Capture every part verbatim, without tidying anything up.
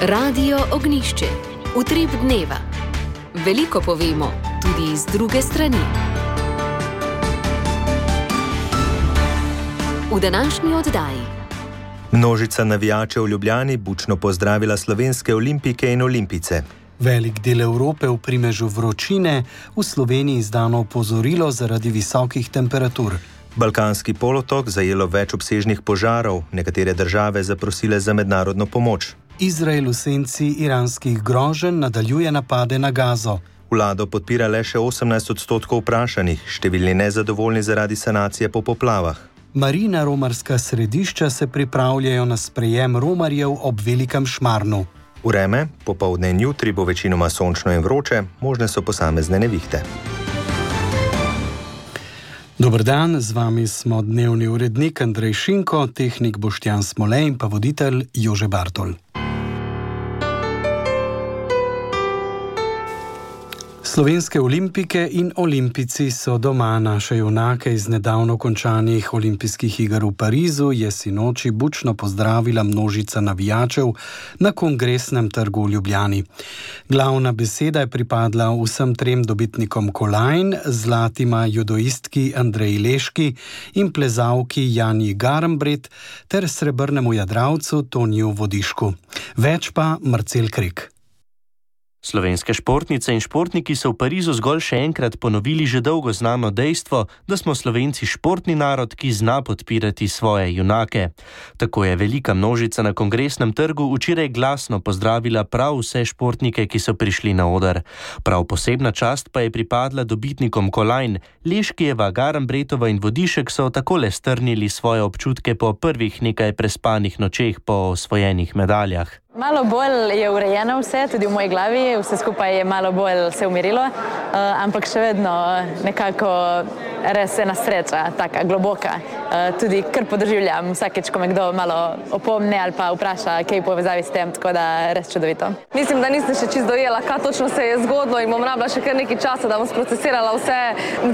Radio Ognjišče. Utrip dneva. Veliko povemo, tudi iz druge strani. V današnji oddaji. Množica navijačev v Ljubljani bučno pozdravila slovenske olimpike in olimpice. Velik del Evrope v primežu vročine, v Sloveniji izdano opozorilo zaradi visokih temperatur. Balkanski polotok zajelo več obsežnih požarov, nekatere države zaprosile za mednarodno pomoč. Izrael v senci iranskih groženj nadaljuje napade na Gazo. Vlado podpira le še osemnajst odstotkov vprašanih, številni nezadovoljni zaradi sanacije po poplavah. Marina romarska središča se pripravljajo na sprejem romarjev ob Velikem Šmarnu. Vreme, popoldne in jutri bo večinoma sončno in vroče, možne so posamezne nevihte. Dober dan, z vami smo dnevni urednik Andrej Šinko, tehnik Boštjan Smole in pa voditelj Jože Bartol. Slovenske olimpike in olimpici so doma. Naše junake iz nedavno končanih olimpijskih iger v Parizu je sinoči bučno pozdravila množica navijačev na Kongresnem trgu v Ljubljani. Glavna beseda je pripadla vsem trem dobitnikom kolajn, zlatima judoistki Andreji Leški in plezalki Janji Garnbret ter srebrnemu jadralcu Toniju Vodišku. Več pa Marcel Krek. Slovenske športnice in športniki so v Parizu zgolj še enkrat ponovili že dolgo znano dejstvo, da smo Slovenci športni narod, ki zna podpirati svoje junake. Tako je velika množica na Kongresnem trgu včeraj glasno pozdravila prav vse športnike, ki so prišli na oder. Prav posebna čast pa je pripadla dobitnikom kolajn. Leškijeva, Garnbretova in Vodišek so takole strnili svoje občutke po prvih nekaj prespanih nočeh po osvojenih medaljah. Malo bolj je urejeno vse, tudi v moji glavi, vse skupaj je malo bolj se umirilo, uh, ampak še vedno nekako res ena sreča, taka globoka. Uh, tudi kar podoživljam vsakeč, ko me kdo malo opomne ali pa vpraša, kaj v povezavi s tem, tako da res čudovito. Mislim, da nisem še čisto dojela, kaj točno se je zgodilo in bom rabila še kar nekaj časa, da bom sprocesirala vse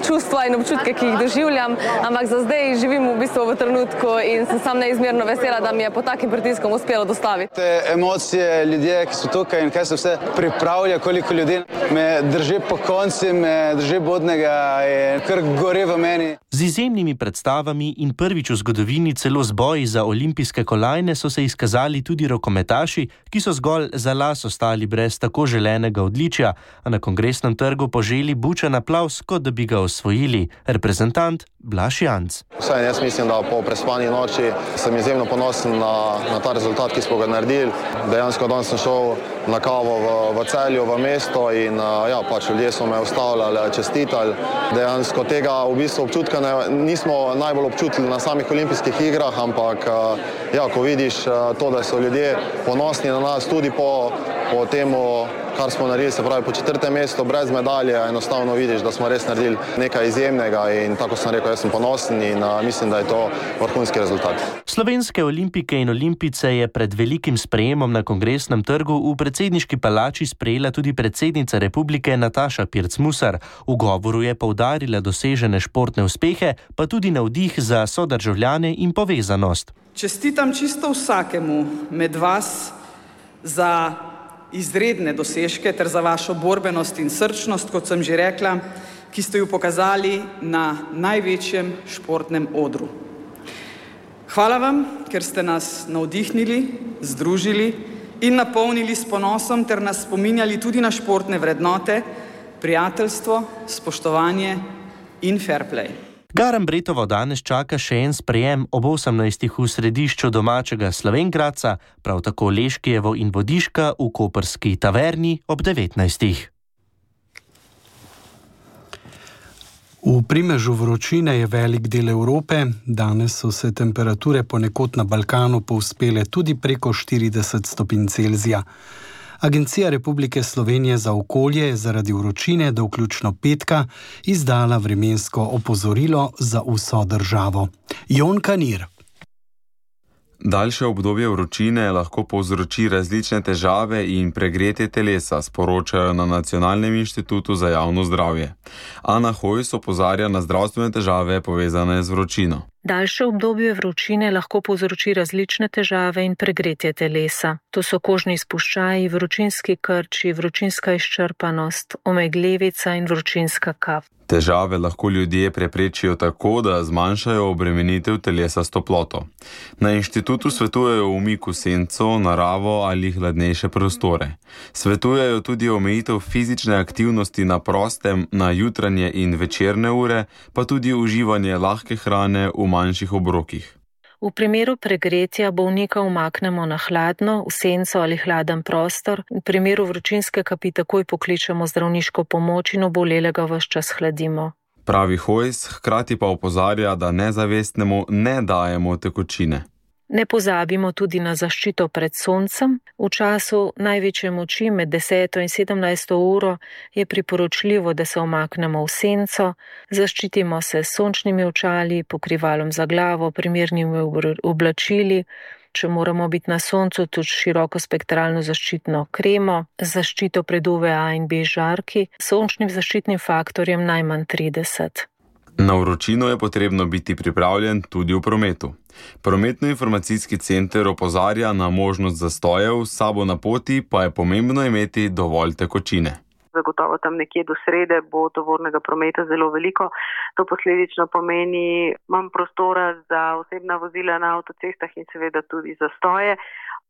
čustva in občutke, ki jih doživljam, ampak za zdaj živim v bistvu v trenutku in sem sam neizmerno vesela, da mi je po takim pritiskom uspelo dostaviti. Emocije, ljudje, ki so tukaj in kaj se vse pripravlja, koliko ljudi me drži po konci, me drži bodnega in kar gori v meni. Z izjemnimi predstavami in prvič v zgodovini celo z boji za olimpijske kolajne so se izkazali tudi rokometaši, ki so zgolj za las ostali brez tako želenega odličja, a na Kongresnem trgu poželi bučen aplavz, kot da bi ga osvojili. Reprezentant Blaž Janc. Vsaj jaz mislim, da po prespani noči sem izjemno ponosen na, na ta rezultat, ki smo ga naredili. Dejansko danes sem šel na kavo v, v Celju, v mesto in ja, pač ljudje so me ustavljali, čestitali. Dejansko tega v bistvu občutka ne, nismo najbolj občutili na samih olimpijskih igrah, ampak ja, ko vidiš to, da so ljudje ponosni na nas tudi po, po temu, kar smo naredili, se pravi po četrtem mestu, brez medalje, enostavno vidiš, da smo res naredili nekaj izjemnega in tako sem rekel, jaz sem ponosen in a, mislim, da je to vrhunski rezultat. Slovenske olimpike in olimpice je pred velikim sprejemom na Kongresnem trgu v predsedniški palači sprejela tudi predsednica republike Nataša Pirc-Musar. V govoru je poudarila dosežene športne uspehe, pa tudi navdih za sodržavljane in povezanost. Čestitam čisto vsakemu med vas za izredne dosežke ter za vašo borbenost in srčnost, kot sem že rekla, ki ste jo pokazali na največjem športnem odru. Hvala vam, ker ste nas navdihnili, združili in napolnili s ponosom ter nas spominjali tudi na športne vrednote, prijateljstvo, spoštovanje in fair play. Garnbretovo danes čaka še en sprejem ob osemnajstih v središču domačega Slovenj-Gradca, prav tako Leškijevo in Vodiška v koprski taverni ob devetnajstih. V primežu vročine je velik del Evrope. Danes so se temperature ponekod na Balkanu povzpele tudi preko štirideset stopinj Celzija. Agencija Republike Slovenije za okolje je zaradi vročine do vključno petka izdala vremensko opozorilo za vso državo. Jon Kanir. Daljše obdobje vročine lahko povzroči različne težave in pregretje telesa, sporočajo na Nacionalnem inštitutu za javno zdravje. Ana Hojs opozarja na zdravstvene težave povezane z vročino. Daljše obdobje vročine lahko povzroči različne težave in pregretje telesa. To so kožni izpuščaji, vročinski krči, vročinska izčrpanost, omegljevica in vročinska kap. Težave lahko ljudje preprečijo tako, da zmanjšajo obremenitev telesa s toploto. Na inštitutu svetujejo umik v senco, naravo ali hladnejše prostore. Svetujejo tudi omejitev fizične aktivnosti na prostem na jutranje in večerne ure, pa tudi uživanje lahke hrane v manjših obrokih. V primeru pregretja bolnika umaknemo na hladno, v senco ali hladen prostor. V primeru vročinske kapi takoj pokličemo zdravniško pomoč in obolelega ves čas hladimo. Pravi Hojs, hkrati pa opozarja, da nezavestnemu ne dajemo tekočine. Ne pozabimo tudi na zaščito pred soncem. V času največje moči med deseto in sedemnajsto uro je priporočljivo, da se omaknemo v senco, zaščitimo se s sončnimi očali, pokrivalom za glavo, primernimi oblačili, če moramo biti na soncu, tudi širokospektralno zaščitno kremo, zaščito pred U V A in B žarki, sončnim zaščitnim faktorjem najmanj trideset. Na vročino je potrebno biti pripravljen tudi v prometu. Prometno-informacijski center opozarja na možnost zastojev, s sabo na poti pa je pomembno imeti dovolj tekočine. Zagotovo tam nekje do srede bo tovornega prometa zelo veliko. To posledično pomeni manj prostora za osebna vozila na avtocestah in seveda tudi zastoje.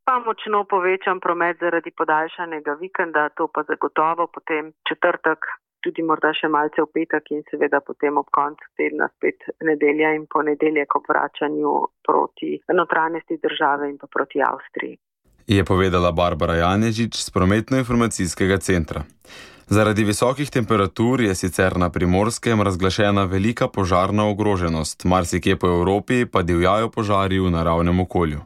Pa močno povečan promet zaradi podaljšanega vikenda, to pa zagotovo potem četrtek, tudi morda še malce v petek in seveda potem ob koncu tedna spet nedelja in ponedeljek ob vračanju proti notranjosti države in pa proti Avstriji. Je povedala Barbara Janežič z Prometno-informacijskega centra. Zaradi visokih temperatur je sicer na Primorskem razglašena velika požarna ogroženost, marsikje po Evropi pa divjajo požari v naravnem okolju.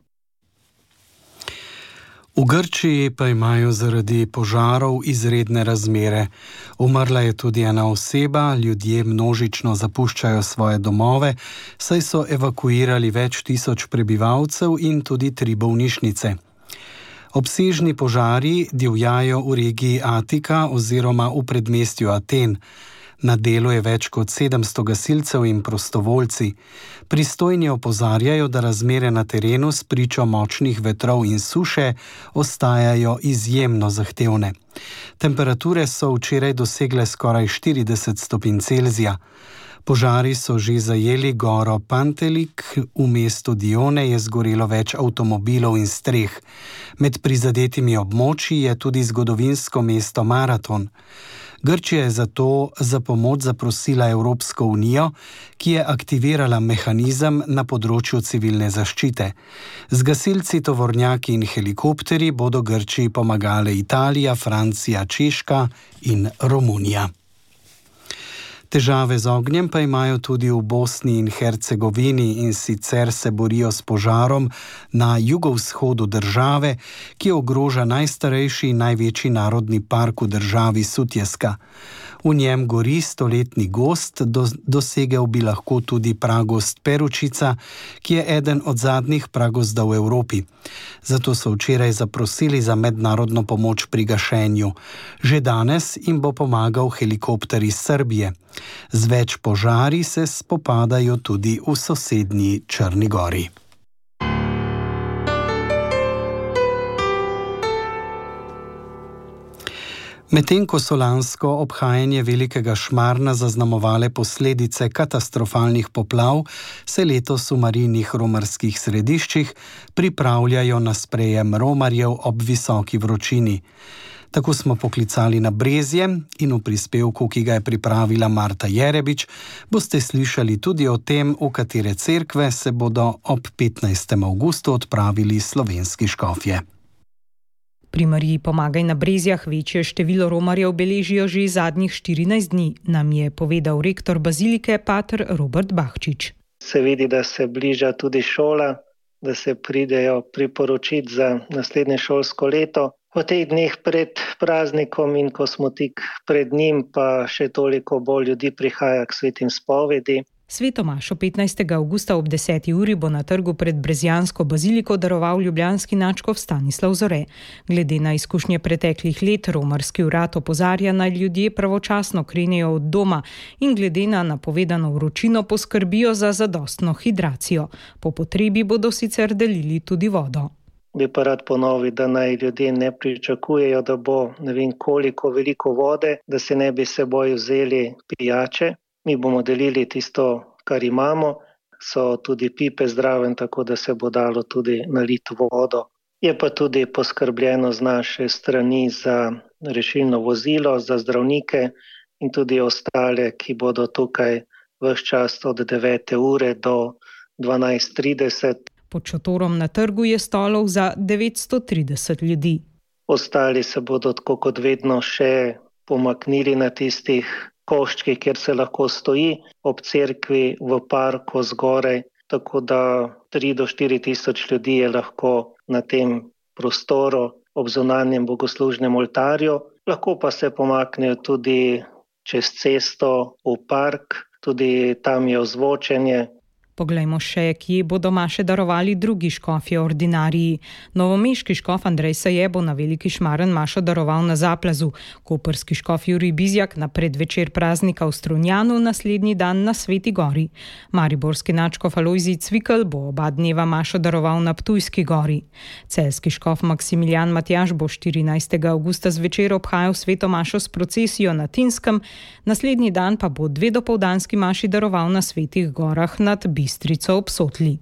V Grčiji pa imajo zaradi požarov izredne razmere. Umrla je tudi ena oseba, ljudje množično zapuščajo svoje domove, saj so evakuirali več tisoč prebivalcev in tudi tri bolnišnice. Obsežni požari divjajo v regiji Atika oziroma v predmestju Aten. Na delu je več kot sedemsto gasilcev in prostovoljci. Pristojni opozarjajo, da razmere na terenu s pričo močnih vetrov in suše ostajajo izjemno zahtevne. Temperature so včeraj dosegle skoraj štirideset stopinj Celzija. Požari so že zajeli goro Pantelik, v mestu Dione je zgorelo več avtomobilov in streh. Med prizadetimi območji je tudi zgodovinsko mesto Maraton. Grčija je zato za pomoč zaprosila Evropsko unijo, ki je aktivirala mehanizem na področju civilne zaščite. Z gasilci, tovornjaki in helikopterji bodo Grčiji pomagale Italija, Francija, Češka in Romunija. Težave z ognjem pa imajo tudi v Bosni in Hercegovini in sicer se borijo s požarom na jugovzhodu države, ki ogroža najstarejši in največji narodni park v državi Sutjeska. V njem gori stoletni gozd, do, dosegel bi lahko tudi pragozd Peručica, ki je eden od zadnjih pragozdov v Evropi. Zato so včeraj zaprosili za mednarodno pomoč pri gašenju. Že danes jim bo pomagal helikopter iz Srbije. Z več požari se spopadajo tudi v sosednji Črni gori. Medtem ko so lansko obhajanje velikega Šmarna zaznamovale posledice katastrofalnih poplav, se letos v marijnih romarskih središčih pripravljajo na sprejem romarjev ob visoki vročini. Tako smo poklicali na Brezje in v prispevku, ki ga je pripravila Marta Jerebič, boste slišali tudi o tem, v katere cerkve se bodo ob petnajstem avgustu odpravili slovenski škofje. Pri Mariji Pomagaj na Brezjah večje število romarjev beležijo že zadnjih štirinajst dni, nam je povedal rektor bazilike pater Robert Bahčič. Se vidi, da se bliža tudi šola, da se pridejo priporočiti za naslednje šolsko leto. V teh dneh pred praznikom in ko smo tik pred njim, pa še toliko bolj ljudi prihaja k svetim spovedi. Sveto mašo petnajstega avgusta ob deseti uri bo na trgu pred Brezjansko baziliko daroval ljubljanski nadškof Stanislav Zore. Glede na izkušnje preteklih let, romarski urad opozarja, naj ljudje pravočasno krenejo od doma in glede na napovedano vročino poskrbijo za zadostno hidracijo. Po potrebi bodo sicer delili tudi vodo. Bi pa rad ponovil, da naj ljudje ne pričakujejo, da bo ne vem koliko veliko vode, da se ne bi seboj vzeli pijače. Mi bomo delili tisto, kar imamo, so tudi pipe zdraven, tako da se bo dalo tudi naliti vodo. Je pa tudi poskrbljeno z naše strani za rešilno vozilo, za zdravnike in tudi ostale, ki bodo tukaj ves čas od devete ure do dvanajst trideset. Pod šotorom na trgu je stolov za devetsto trideset ljudi. Ostali se bodo tako kot vedno še pomaknili na tistih koščki, kjer se lahko stoji, ob cerkvi, v parku zgoraj, tako da tri do štiri tisoč ljudi je lahko na tem prostoru ob zunanjem bogoslužnem oltarju. Lahko pa se pomaknejo tudi čez cesto v park, tudi tam je ozvočenje. Poglejmo še, kje bodo maše darovali drugi škofje ordinariji. Novomeški škof Andrej Saje bo na Veliki Šmaren mašo daroval na Zaplazu, koprski škof Jurij Bizjak na predvečer praznika v Strunjanu, naslednji dan na Sveti Gori. Mariborski nadškof Alojzij Cvikl bo oba dneva mašo daroval na Ptujski gori. Celjski škof Maksimilijan Matjaž bo štirinajstega avgusta zvečer obhajal sveto mašo s procesijo na Tinskem, naslednji dan pa bo dve dopoldanski maši daroval na Svetih gorah nad Bistrico ob Sotli.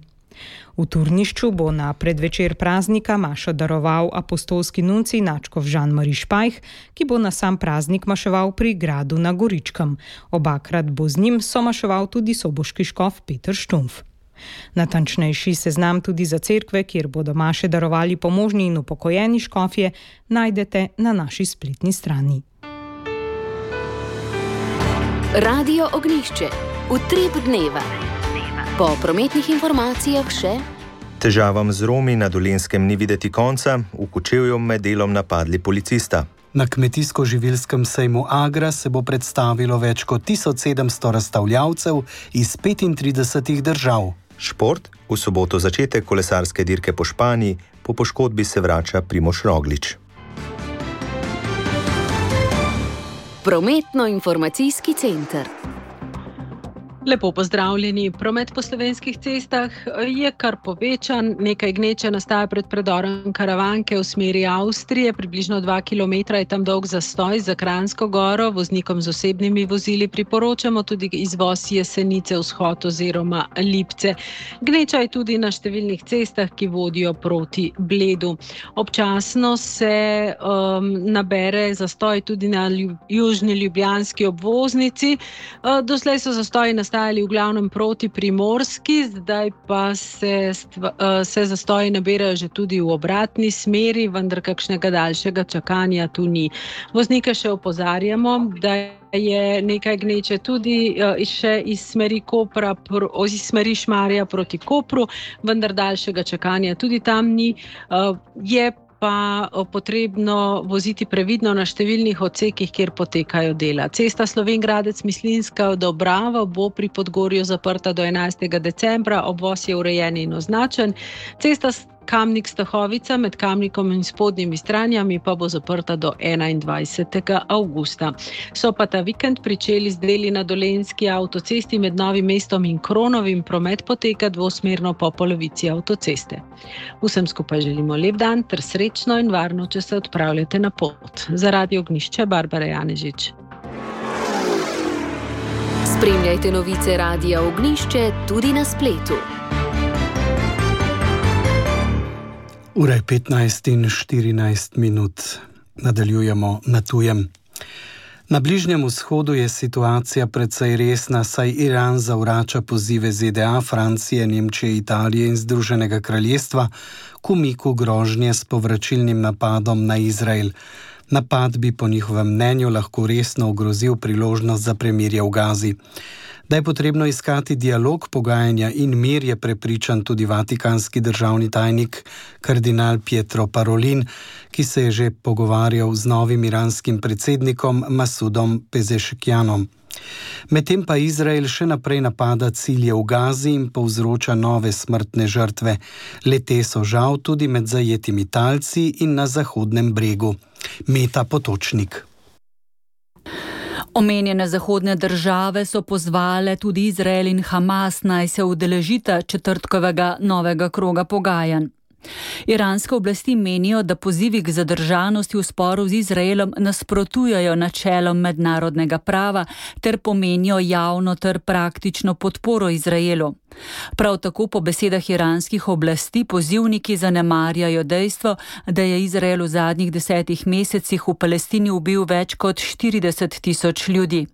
V Turnišču bo na predvečer praznika mašo daroval apostolski nuncij nadškof Žan-Mari Špajh, ki bo na sam praznik maševal pri gradu na Goričkem. Obakrat bo z njim somaševal tudi soboški škof Peter Štumf. Natančnejši seznam tudi za cerkve, kjer bodo maše darovali pomožni in upokojeni škofje, najdete na naši spletni strani. Radio Ognjišče. Utrip dneva. Po prometnih informacijah še: težavam z Romi na Dolenjskem ni videti konca, v Kočevju med delom napadli policista. Na kmetijsko-živilskem sejmu Agra se bo predstavilo več kot tisoč sedemsto razstavljavcev iz petintridesetih držav. Šport, v soboto začetek kolesarske dirke po Španiji, po poškodbi se vrača Primož Roglič. Prometno-informacijski center. Lepo pozdravljeni. Promet po slovenskih cestah je kar povečan. Nekaj gneče nastaja pred predorom Karavanke v smeri Avstrije. Približno dva kilometra je tam dolg zastoj za Kranjsko goro. Voznikom z osebnimi vozili priporočamo tudi izvoz Jesenice, Vzhod oziroma Lipce. Gneča je tudi na številnih cestah, ki vodijo proti Bledu. Občasno se um, nabere zastoj tudi na lju, južni ljubljanski obvoznici. Uh, doslej so zastoji nastavili v glavnem proti Primorski, zdaj pa se, se zastoji nabirajo že tudi v obratni smeri, vendar kakšnega daljšega čakanja tu ni. Voznike še opozarjamo, da je nekaj gneče tudi še iz smeri Kopra, iz smeri Šmarja proti Kopru, vendar daljšega čakanja tudi tam ni. Je pa potrebno voziti previdno na številnih odsekih, kjer potekajo dela. Cesta Slovenj Gradec-Mislinjska Dobrava bo pri Podgorju zaprta do enajstega decembra, obvoz je urejen in označen. Cesta Kamnik-Stahovica med Kamnikom in Spodnjimi Stranjami pa bo zaprta do enaindvajsetega avgusta. So pa ta vikend pričeli z deli na Dolenjski avtocesti med Novim mestom in Kronovim. Promet poteka dvosmerno po polovici avtoceste. Vsem skupaj želimo lep dan ter srečno in varno, če se odpravljate na pot. Za Radio Ognjišče, Barbara Janežič. Spremljajte novice Radia Ognjišče tudi na spletu. Ura je petnajst in štirinajst minut. Nadaljujemo na tujem. Na Bližnjem vzhodu je situacija precej resna, saj Iran zavrača pozive Z D A, Francije, Nemčije, Italije in Združenega kraljestva k umiku grožnje s povračilnim napadom na Izrael. Napad bi po njihovem mnenju lahko resno ogrozil priložnost za premirje v Gazi. Da je potrebno iskati dialog, pogajanja in mir, je prepričan tudi vatikanski državni tajnik kardinal Pietro Parolin, ki se je že pogovarjal z novim iranskim predsednikom Masudom Pezeškianom. Medtem pa Izrael še naprej napada cilje v Gazi in povzroča nove smrtne žrtve. Le-te so žal tudi med zajetimi talci in na Zahodnem bregu. Meta Potočnik. Omenjene zahodne države so pozvale tudi Izrael in Hamas, naj se udeležita četrtkovega novega kroga pogajanj. Iranske oblasti menijo, da pozivi k zadržanosti v sporu z Izraelom nasprotujejo načelom mednarodnega prava ter pomenijo javno ter praktično podporo Izraelu. Prav tako po besedah iranskih oblasti pozivniki zanemarjajo dejstvo, da je Izrael v zadnjih desetih mesecih v Palestini ubil več kot štirideset tisoč ljudi.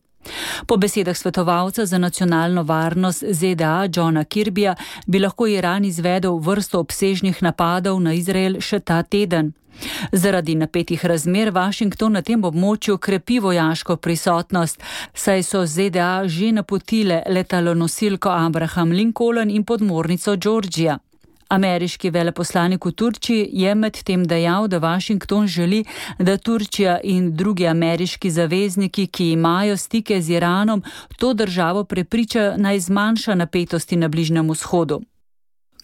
Po besedah svetovalca za nacionalno varnost Z D A Johna Kirbyja bi lahko Iran izvedel vrsto obsežnih napadov na Izrael še ta teden. Zaradi napetih razmer Washington na tem območju krepi vojaško prisotnost, saj so Z D A že napotile letalonosilko Abraham Lincoln in podmornico Georgia. Ameriški veleposlanik v Turčiji je medtem dejal, da Washington želi, da Turčija in drugi ameriški zavezniki, ki imajo stike z Iranom, to državo prepričajo naj zmanjša napetosti na Bližnjem vzhodu.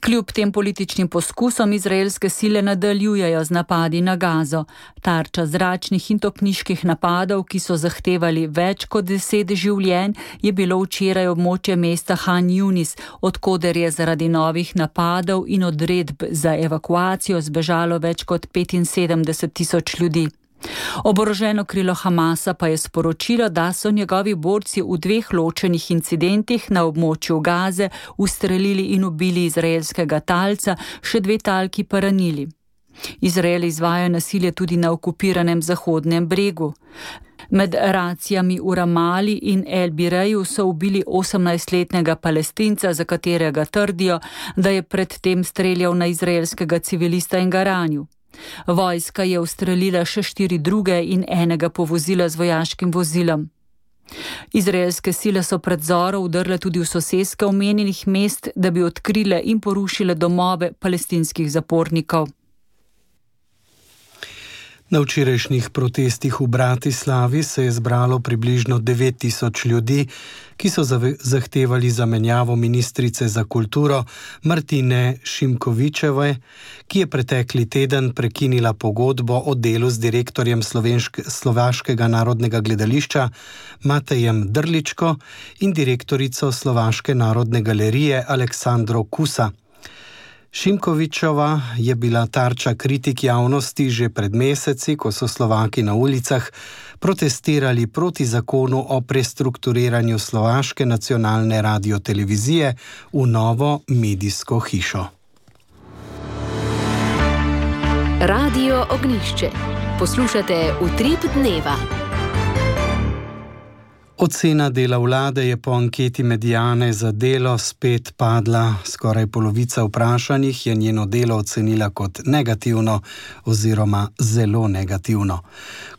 Kljub tem političnim poskusom izraelske sile nadaljujejo z napadi na Gazo. Tarča zračnih in topniških napadov, ki so zahtevali več kot deset življenj, je bilo včeraj območje mesta Han Yunis, odkoder je zaradi novih napadov in odredb za evakuacijo zbežalo več kot petinsedemdeset tisoč ljudi. Oboroženo krilo Hamasa pa je sporočilo, da so njegovi borci v dveh ločenih incidentih na območju Gaze ustrelili in ubili izraelskega talca, še dve talki pa ranili. Izrael izvaja nasilje tudi na okupiranem Zahodnem bregu. Med racijami v Ramali in El Bireju so ubili osemnajstletnega Palestinca, za katerega trdijo, da je predtem streljal na izraelskega civilista in ga ranil. Vojska je ustrelila še štiri druge in enega povozila z vojaškim vozilom. Izraelske sile so pred zoro vdrle tudi v soseske omenjenih mest, da bi odkrile in porušile domove palestinskih zapornikov. Na včerajšnjih protestih v Bratislavi se je zbralo približno devet tisoč ljudi, ki so zahtevali zamenjavo ministrice za kulturo Martine Šimkovičeve, ki je pretekli teden prekinila pogodbo o delu z direktorjem Slovaškega narodnega gledališča Matejem Drličko in direktorico Slovaške narodne galerije Aleksandro Kusa. Šimkovičova je bila tarča kritik javnosti že pred meseci, ko so Slovaki na ulicah protestirali proti zakonu o prestrukturiranju Slovaške nacionalne radiotelevizije v novo medijsko hišo. Radio Ognjišče. Poslušate Utrip dneva. Ocena dela vlade je po anketi Mediane za Delo spet padla. Skoraj polovica vprašanih je njeno delo ocenila kot negativno oziroma zelo negativno.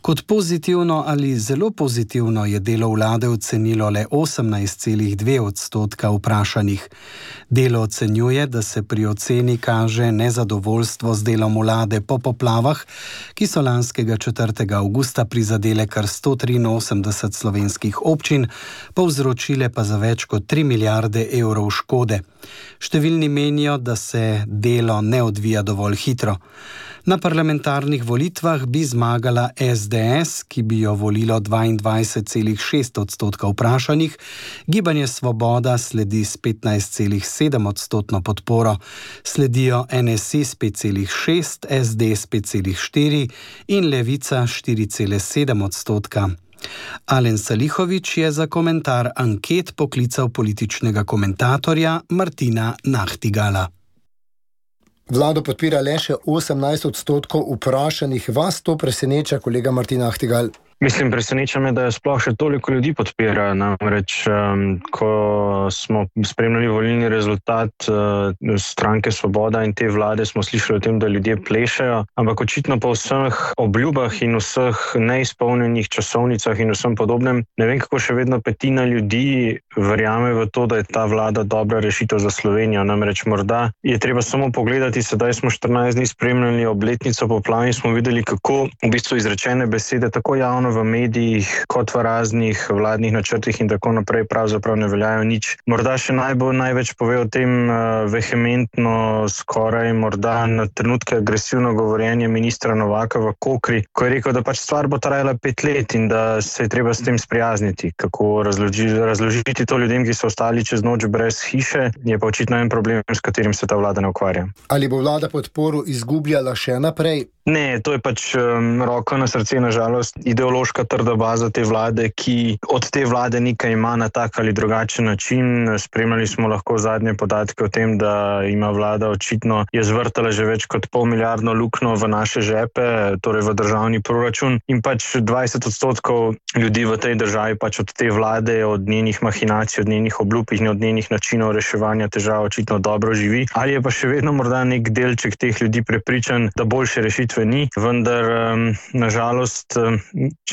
Kot pozitivno ali zelo pozitivno je delo vlade ocenilo le osemnajst celih dve odstotka vprašanih. Delo ocenjuje, da se pri oceni kaže nezadovoljstvo z delom vlade po poplavah, ki so lanskega četrtega avgusta prizadele kar sto triinosemdeset slovenskih občin, povzročile pa za več kot tri milijarde evrov škode. Številni menijo, da se delo ne odvija dovolj hitro. Na parlamentarnih volitvah bi zmagala S D S, ki bi jo volilo dvaindvajset celih šest odstotka vprašanih, Gibanje Svoboda sledi s petnajst celih sedem odstotno podporo, sledijo N S I s pet celih šest, S D s pet celih štiri in Levica štiri celih sedem odstotka. Alen Salihović je za komentar anket poklical političnega komentatorja Martina Nahtigala. Vlado podpira le še osemnajst odstotkov vprašanih. Vas to preseneča, kolega Martin Nahtigal? Mislim, preseneča me, da je sploh še toliko ljudi podpira. Namreč, um, ko smo spremljali volilni rezultat uh, stranke Svoboda in te vlade, smo slišali o tem, da ljudje plešajo, ampak očitno po vseh obljubah in vseh neizpolnjenih časovnicah in vsem podobnem, ne vem, kako še vedno petina ljudi verjame v to, da je ta vlada dobra rešitev za Slovenijo. Namreč morda je treba samo pogledati, sedaj smo štirinajst dni spremljali obletnico poplav in smo videli, kako v bistvu izrečene besede tako javno ravno v medijih, kot v raznih vladnih načrtih in tako naprej pravzaprav ne veljajo nič. Morda še najbolj največ pove o tem uh, vehementno, skoraj morda na trenutke agresivno govorjenje ministra Novaka v Kokri, ko je rekel, da pač stvar bo trajala pet let in da se je treba s tem sprijazniti. Kako razloži, razložiti to ljudem, ki so ostali čez noč brez hiše, je pa očitno en problem, s katerim se ta vlada ne ukvarja. Ali bo vlada podporo izgubljala še naprej? Ne, to je pač um, roko na srce, nažalost, ideološka trda baza te vlade, ki od te vlade nekaj ima na tak ali drugačen način. Spremljali smo lahko zadnje podatke o tem, da ima vlada očitno je zvrtala že več kot pol milijardno luknjo v naše žepe, torej v državni proračun, in pač dvajset odstotkov ljudi v tej državi pač od te vlade, od njenih mahinacij, od njenih obljub in od njenih načinov reševanja težav očitno dobro živi. Ali je pa še vedno morda nek delček teh ljudi prepričan, da boljše rešitve ni, vendar um, nažalost um,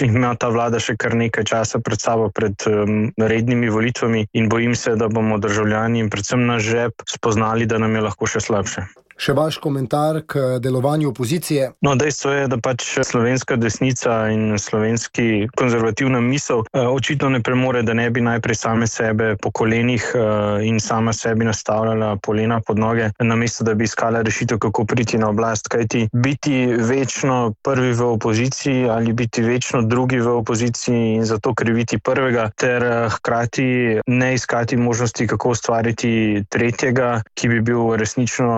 ima ta vlada še kar nekaj časa pred sabo, pred um, rednimi volitvami, in bojim se, da bomo državljani in predvsem naš žep spoznali, da nam je lahko še slabše. Še vaš komentar k delovanju opozicije? No, dejstvo je, da pač slovenska desnica in slovenski konzervativna misel eh, očitno ne premore, da ne bi najprej same sebe po kolenih eh, in sama sebi nastavljala polena pod noge, namesto da bi iskala rešitev, kako priti na oblast. Kajti biti večno prvi v opoziciji ali biti večno drugi v opoziciji in zato kriviti prvega, ter eh, hkrati ne iskati možnosti, kako ustvariti tretjega, ki bi bil resnično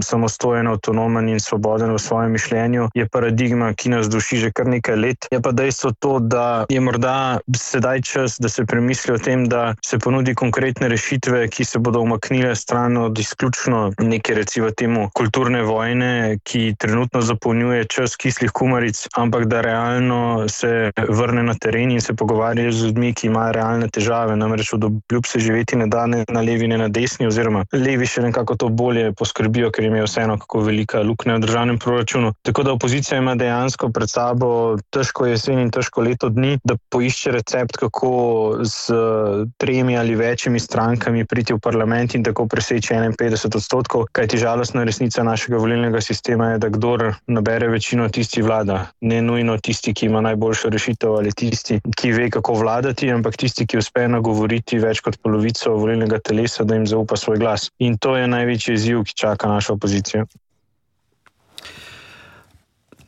samostojen, avtonomen in svoboden v svojem mišljenju, je paradigma, ki nas duši že kar nekaj let. Je pa dejstvo to, da je morda sedaj čas, da se premisli o tem, da se ponudi konkretne rešitve, ki se bodo umaknile stran od izključno neke, recimo temu, kulturne vojne, ki trenutno zapolnjuje čas kislih kumaric, ampak da realno se vrne na teren in se pogovarja z ljudmi, ki imajo realne težave. Namreč od obljub se živeti ne da ne na levi, ne na desni, oziroma levi še nekako to bolje poskrbijo, ker jim je vseeno, kako velika luknja v državnem proračunu. Tako da opozicija ima dejansko pred sabo težko jesen in težko leto dni, da poišče recept, kako z tremi ali večjimi strankami priti v parlament in tako preseči enainpetdeset odstotkov, kajti žalostna resnica našega volilnega sistema je, da kdor nabere večino, tisti vlada. Ne nujno tisti, ki ima najboljšo rešitev, ali tisti, ki ve, kako vladati, ampak tisti, ki uspe nagovoriti več kot polovico volilnega telesa, da jim zaupa svoj glas. In to je največji izziv, ki čaka našo opozicijo.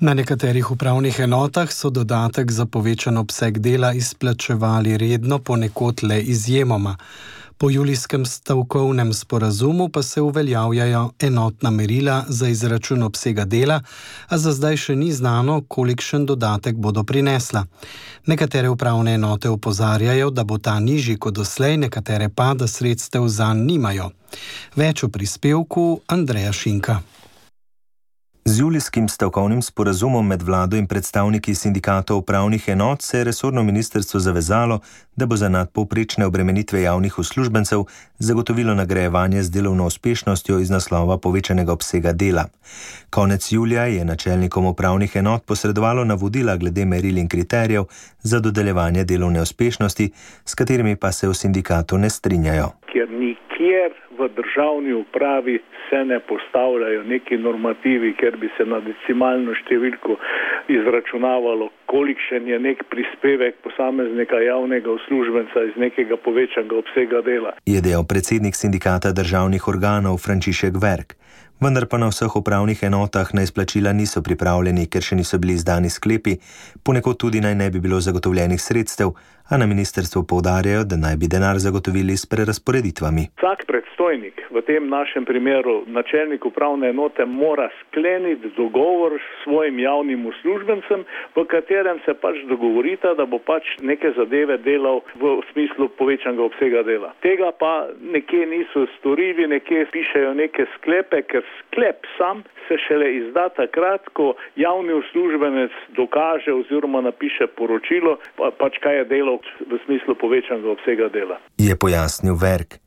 Na nekaterih upravnih enotah so dodatek za povečan obseg dela izplačevali redno, ponekod le izjemoma. Po julijskem stavkovnem sporazumu pa se uveljavljajo enotna merila za izračun obsega dela, a za zdaj še ni znano, kolikšen dodatek bodo prinesla. Nekatere upravne enote opozarjajo, da bo ta nižji kot doslej, nekatere pa, da sredstev zanj nimajo. Več o prispevku Andreja Šinka. Z julijskim stavkovnim sporazumom med vlado in predstavniki sindikatov upravnih enot se je resorno ministrstvo zavezalo, da bo za nadpovprečne obremenitve javnih uslužbencev zagotovilo nagrajevanje z delovno uspešnostjo iz naslova povečanega obsega dela. Konec julija je načelnikom upravnih enot posredovalo navodila glede meril in kriterijev za dodeljevanje delovne uspešnosti, s katerimi pa se v sindikatu ne strinjajo. Ker nikjer v državni upravi se ne postavljajo neki normativi, ker bi se na decimalno številko izračunavalo, kolikšen je nek prispevek posameznika javnega uslužbenca iz nekega povečanega obsega dela. Je dejal predsednik sindikata državnih organov Frančišek Verk. Vendar pa na vseh upravnih enotah na izplačila niso pripravljeni, ker še niso bili izdani sklepi, ponekod tudi naj ne bi bilo zagotovljenih sredstev, a na ministrstvu poudarjajo, da naj bi denar zagotovili s prerazporeditvami. Vsak predstojnik, v tem našem primeru načelnik upravne enote, mora skleniti dogovor s svojim javnim uslužbencem, v katerem se pač dogovorita, da bo pač neke zadeve delal v smislu povečanega obsega dela. Tega pa nekje niso storili, nekje pišejo neke sklepe, ker sklep sam se šele izda takrat, ko javni uslužbenec dokaže oziroma napiše poročilo, pa, pač kaj je delal v smislu povečanega obsega dela. Je pojasnil Verk.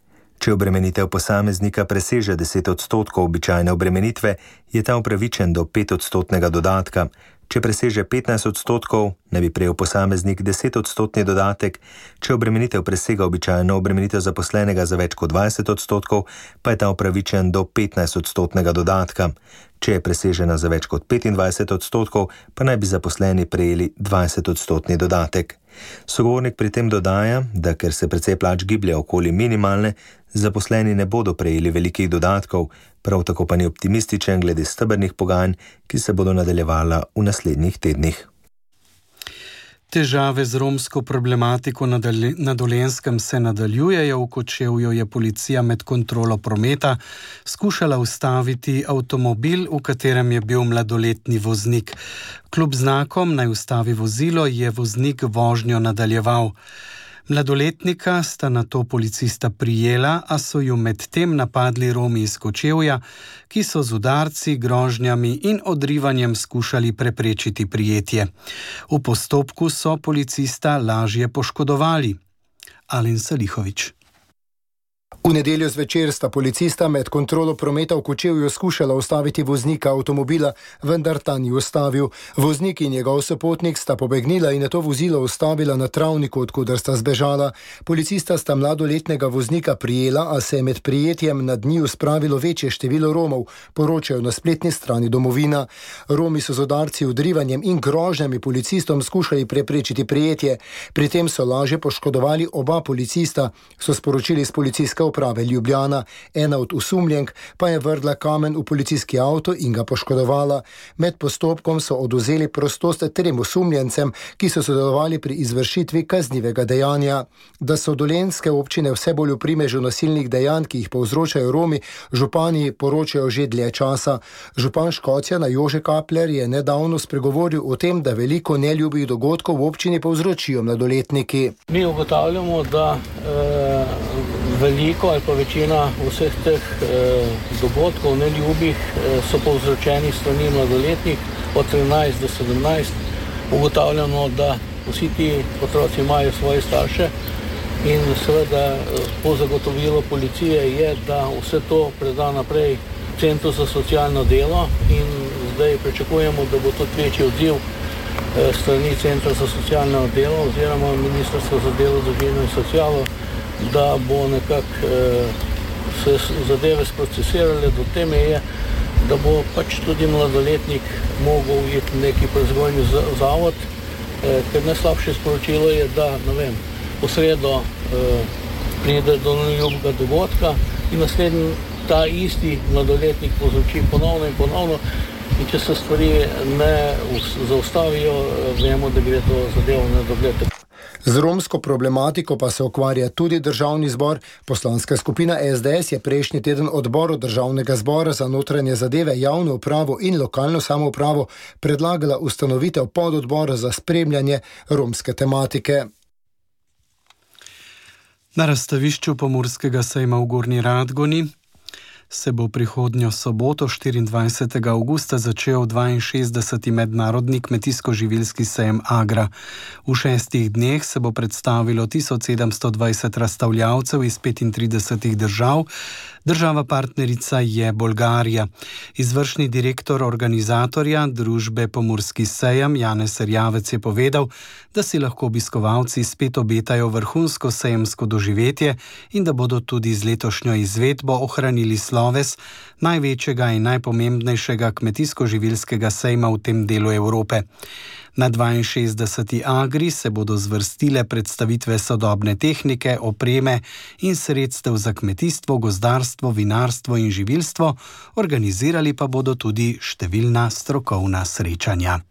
Če obremenitev posameznika preseže deset odstotkov običajne obremenitve, je ta upravičen do petodstotnega dodatka. Če preseže petnajst odstotkov, ne bi prejel posameznik deset odstotni dodatek, če obremenitev presega običajno obremenitev zaposlenega za več kot dvajset odstotkov, pa je ta upravičen do petnajst odstotnega dodatka. Če je presežena za več kot petindvajset odstotkov, pa naj bi zaposleni prejeli dvajset odstotni dodatek. Sogovornik pri tem dodaja, da ker se precej plač giblje okoli minimalne, zaposleni ne bodo prejeli velikih dodatkov, prav tako pa ni optimističen glede stebrnih pogajanj, ki se bodo nadaljevala v naslednjih tednih. Težave z romsko problematiko na Dolenjskem se nadaljujejo. V Kočevju je policija med kontrolo prometa skušala ustaviti avtomobil, v katerem je bil mladoletni voznik. Kljub znakom naj ustavi vozilo, je voznik vožnjo nadaljeval. Mladoletnika sta nato policista prijela, a so ju medtem napadli Romi iz Kočevja, ki so z udarci, grožnjami in odrivanjem skušali preprečiti prijetje. V postopku so policista lažje poškodovali. Alen Salihović. V nedeljo zvečer sta policista med kontrolo prometa v Kočevju skušala ustaviti voznika avtomobila, vendar ta ni ustavil. Voznik in njegov sopotnik sta pobegnila in nato vozilo ustavila na travniku, odkuder sta zbežala. Policista sta mladoletnega voznika prijela, a se je med prijetjem nad njiju spravilo večje število Romov, poročajo na spletni strani Domovina. Romi so z udarci, odrivanjem in grožnjami policistom skušali preprečiti prijetje. Pri tem so lažje poškodovali oba policista, so sporočili s policijske uprave Ljubljana. Ena od osumljenk pa je vrgla kamen v policijski avto in ga poškodovala. Med postopkom so odvzeli prostost trem osumljencem, ki so sodelovali pri izvršitvi kaznivega dejanja. Da so dolenjske občine vse bolj v primežu nasilnih dejanj, ki jih povzročajo Romi, župani poročajo že dlje časa. Župan Škocjana Jože Kapler je nedavno spregovoril o tem, da veliko neljubih dogodkov v občini povzročijo mladoletniki. Mi ugotavljamo, da e, veliko ali pa večina vseh teh e, dogodkov neljubih e, so povzročeni strani mladoletnih od trinajst do sedemnajst. Ugotavljamo, da vsi ti otroci imajo svoje starše in seveda po zagotovilo policije je, da vse to preda naprej Centru za socialno delo in zdaj pričakujemo, da bo tudi večji odziv e, strani Centra za socialno delo oziroma Ministrstva za delo, družino in socialo, da bo nekako eh, se zadeve sprocesirale do te meje, da bo pač tudi mladoletnik mogel iti v neki prezgojni zavod, eh, ker najslabše sporočilo je, da ne vem, v sredo eh, pride do neljubega dogodka in naslednji ta isti mladoletnik povzroči ponovno in ponovno in če se stvari ne zaustavijo, vemo, da gre to zadevo na dogled. Z romsko problematiko pa se ukvarja tudi Državni zbor. Poslanska skupina es de es je prejšnji teden odboru Državnega zbora za notranje zadeve, javno upravo in lokalno samoupravo predlagala ustanovitev pododbora za spremljanje romske tematike. Na razstavišču Pomurskega sejma v Gornji Radgoni se bo prihodnjo soboto, štiriindvajsetega avgusta, začel dvainšestdeseti mednarodni kmetijsko-živilski sejem Agra. V šestih dneh se bo predstavilo tisoč sedemsto dvajset razstavljavcev iz petintridesetih držav. Država partnerica je Bolgarija. Izvršni direktor organizatorja družbe Pomurski sejem Janez Erjavec je povedal, da si lahko obiskovalci spet obetajo vrhunsko sejemsko doživetje in da bodo tudi z letošnjo izvedbo ohranili sloves največjega in najpomembnejšega kmetijsko-živilskega sejma v tem delu Evrope. Na dvainšestdeseti Agri se bodo zvrstile predstavitve sodobne tehnike, opreme in sredstev za kmetijstvo, gozdarstvo, vinarstvo in živilstvo, organizirali pa bodo tudi številna strokovna srečanja.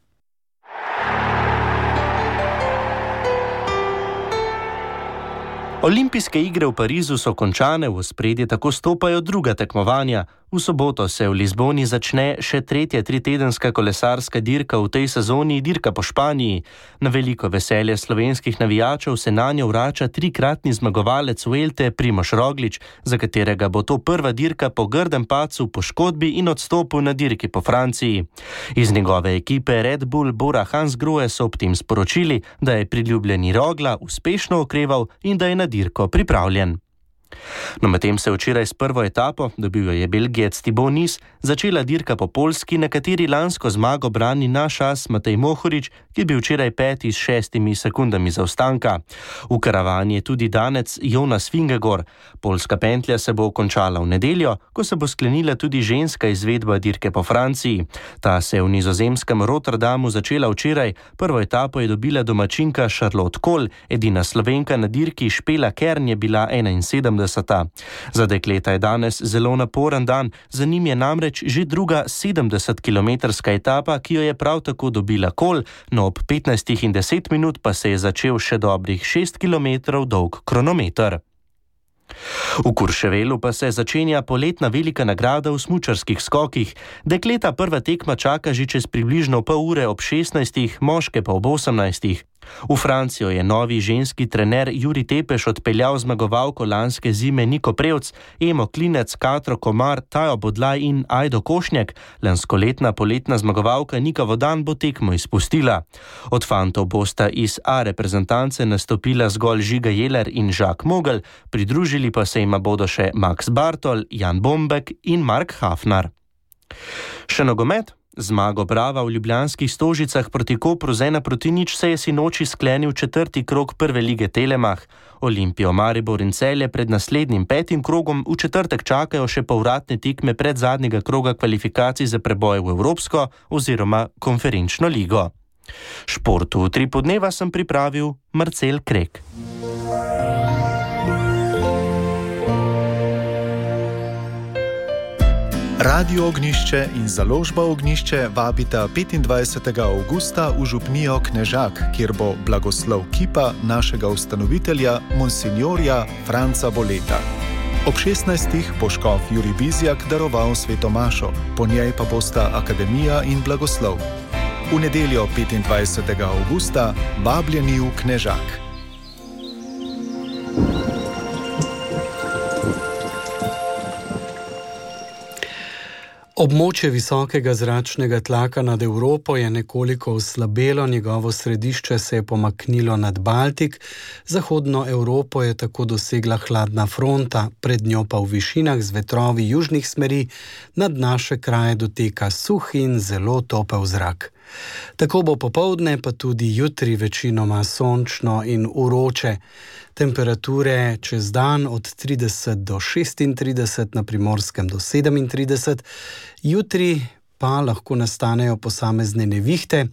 Olimpijske igre v Parizu so končane, v ospredje tako stopajo druga tekmovanja. V soboto se v Lizboni začne še tretja tritedenska kolesarska dirka v tej sezoni, dirka po Španiji. Na veliko veselje slovenskih navijačev se nanjo vrača trikratni zmagovalec Vuelte Primož Roglič, za katerega bo to prva dirka po grdem padcu, poškodbi in odstopu na dirki po Franciji. Iz njegove ekipe Red Bull Bora Hansgrohe so ob tem sporočili, da je priljubljeni Rogla uspešno okreval in da je na dirko pripravljen. No, medtem se včeraj s prvo etapo, dobil jo je Belgijec Thibaut Nice, začela dirka po Poljski, na kateri lansko zmago brani naš as Matej Mohorič, ki je bil včeraj peti s šestimi sekundami zaostanka. V karavani je tudi danec Jonas Vingegor. Poljska pentlja se bo končala v nedeljo, ko se bo sklenila tudi ženska izvedba dirke po Franciji. Ta se je v nizozemskem Rotterdamu začela včeraj. Prvo etapo je dobila domačinka Charlotte Kohl, edina Slovenka na dirki Špela Kern je bila enainsedemdeseta. Za dekleta je danes zelo naporen dan, za njim je namreč že druga sedemdesetkilometrska etapa, ki jo je prav tako dobila Kohl, no ob petnajstih in deset minut pa se je začel še dobrih šest kilometrov dolg kronometer. V Kurševelu pa se začenja poletna velika nagrada v smučarskih skokih. Dekleta prva tekma čaka že čez približno pol ure ob šestnajstih, moške pa ob osemnajstih. V Francijo je novi ženski trener Juri Tepeš odpeljal zmagovalko lanske zime Niko Prevc, Emo Klinec, Katro Komar, Tajo Bodlaj in Ajdo Košnjak. Lanskoletna poletna zmagovalka Nika Vodan bo tekmo izpustila. Od fantov bosta iz A reprezentance nastopila zgolj Žiga Jeler in Žak Mogel, pridružili pa se jima bodo še Max Bartol, Jan Bombek in Mark Hafnar. Še nogomet? Zmago Brava v ljubljanskih Stožicah proti Kopru z ena proti nič se je sinoči sklenil četrti krog prve lige Telemach. Olimpijo, Maribor in Celje pred naslednjim petim krogom v četrtek čakajo še povratne tekme pred zadnjega kroga kvalifikacij za preboj v Evropsko oziroma konferenčno ligo. Športu v tri podneva sem pripravil Marcel Krek. Radio Ognišče in založba Ognišče vabita petindvajsetega avgusta v župnijo Knežak, kjer bo blagoslov kipa našega ustanovitelja, monsinjorja Franca Boleta. Ob šestnajstih bo škof Jurij Bizjak daroval sveto mašo, po njej pa bosta akademija in blagoslov. V nedeljo petindvajsetega avgusta vabljeni v Knežak. Območje visokega zračnega tlaka nad Evropo je nekoliko oslabelo, njegovo središče se je pomaknilo nad Baltik, zahodno Evropo je tako dosegla hladna fronta, pred njo pa v višinah z vetrovi južnih smeri nad naše kraje doteka suh in zelo topel zrak. Tako bo popoldne, pa tudi jutri večinoma sončno in vroče. Temperature čez dan od trideset do šestintrideset, na Primorskem do sedemintrideset, jutri pa lahko nastanejo posamezne nevihte,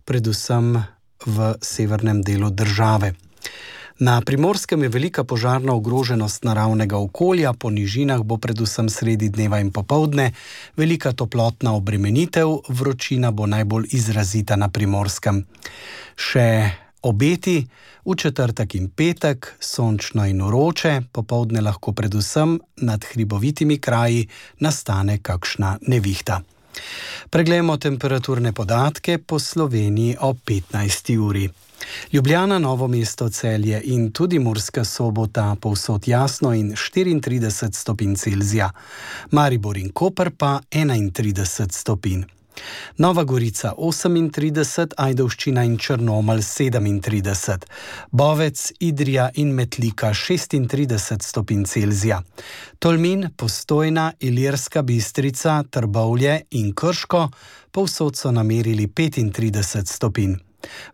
predvsem v severnem delu države. Na Primorskem je velika požarna ogroženost naravnega okolja, po nižinah bo predvsem sredi dneva in popoldne velika toplotna obremenitev, vročina bo najbolj izrazita na Primorskem. Še obeti v četrtek in petek, sončno in vroče, popoldne lahko predvsem nad hribovitimi kraji nastane kakšna nevihta. Preglejmo temperaturne podatke po Sloveniji o petnajsti uri. Ljubljana, Novo mesto, Celje in tudi Murska Sobota povsod jasno in štiriintrideset stopinj Celzija. Maribor in Koper pa enaintrideset stopinj. Nova Gorica osemintrideset, Ajdovščina in Črnomelj sedemintrideset, Bovec, Idrija in Metlika šestintrideset stopinj Celzija, Tolmin, Postojna, Ilirska Bistrica, Trbovlje in Krško povsod so namerili petintrideset stopinj.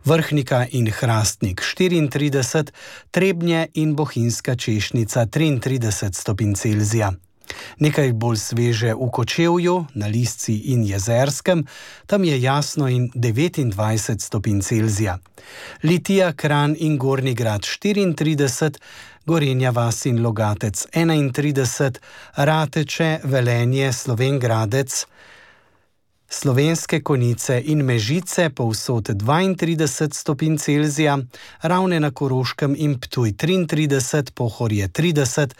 Vrhnika in Hrastnik štiriintrideset, Trebnje in Bohinjska Češnica triintrideset stopinj Celzija. Nekaj bolj sveže v Kočevju, na Lisci in Jezerskem, tam je jasno in devetindvajset stopinj Celzija. Litija, Kranj in Gornji Grad štiriintrideset, Gorenja vas in Logatec enaintrideset, Rateče, Velenje, Slovenj Gradec, Slovenske Konjice in Mežice povsod dvaintrideset stopinj Celzija, Ravne na Koroškem in Ptuj triintrideset, Pohorje trideset,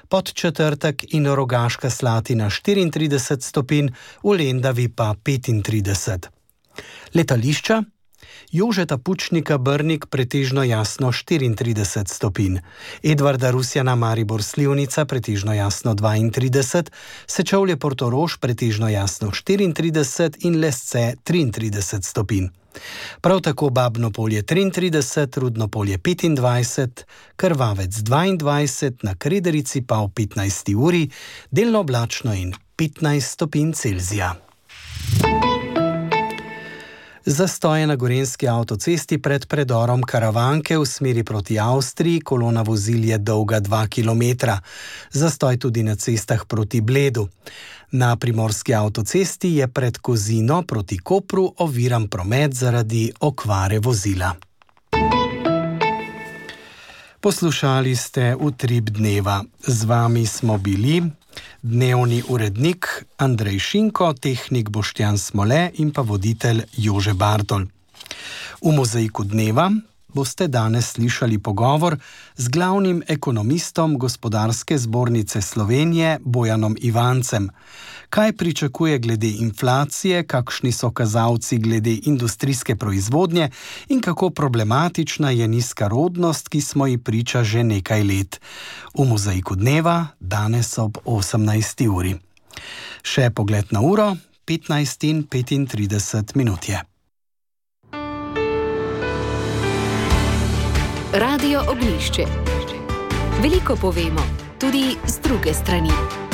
Podčetrtek in Rogaška Slatina štiriintrideset stopinj, v Lendavi pa petintrideset. Letališča? Jožeta Pučnika Brnik pretežno jasno štiriintrideset stopinj, Edvarda Rusjana Maribor Slivnica pretežno jasno dvaintrideset, Sečovlje Portorož pretežno jasno štiriintrideset in Lesce triintrideset stopinj. Prav tako Babno Polje triintrideset, Rudno Polje petindvajset, Krvavec dvaindvajset, na Krederici pa v petnajsti uri delno oblačno in petnajst stopinj Celzija. Zastoje na gorenjski avtocesti pred predorom Karavanke v smeri proti Avstriji, kolona vozil je dolga dva kilometra. Zastoj tudi na cestah proti Bledu. Na primorski avtocesti je pred Kozino proti Kopru oviran promet zaradi okvare vozila. Poslušali ste Utrip dneva. Z vami smo bili dnevni urednik Andrej Šinko, tehnik Boštjan Smole in pa voditelj Jože Bartol. V Mozaiku dneva boste danes slišali pogovor z glavnim ekonomistom Gospodarske zbornice Slovenije Bojanom Ivancem. Kaj pričakuje glede inflacije, kakšni so kazalci glede industrijske proizvodnje in kako problematična je nizka rodnost, ki smo ji priča že nekaj let. V Mozaiku dneva danes ob osemnajsti uri. Še pogled na uro, petnajst in petintrideset minut je. Radio Oglišče. Veliko povemo, tudi z druge strani.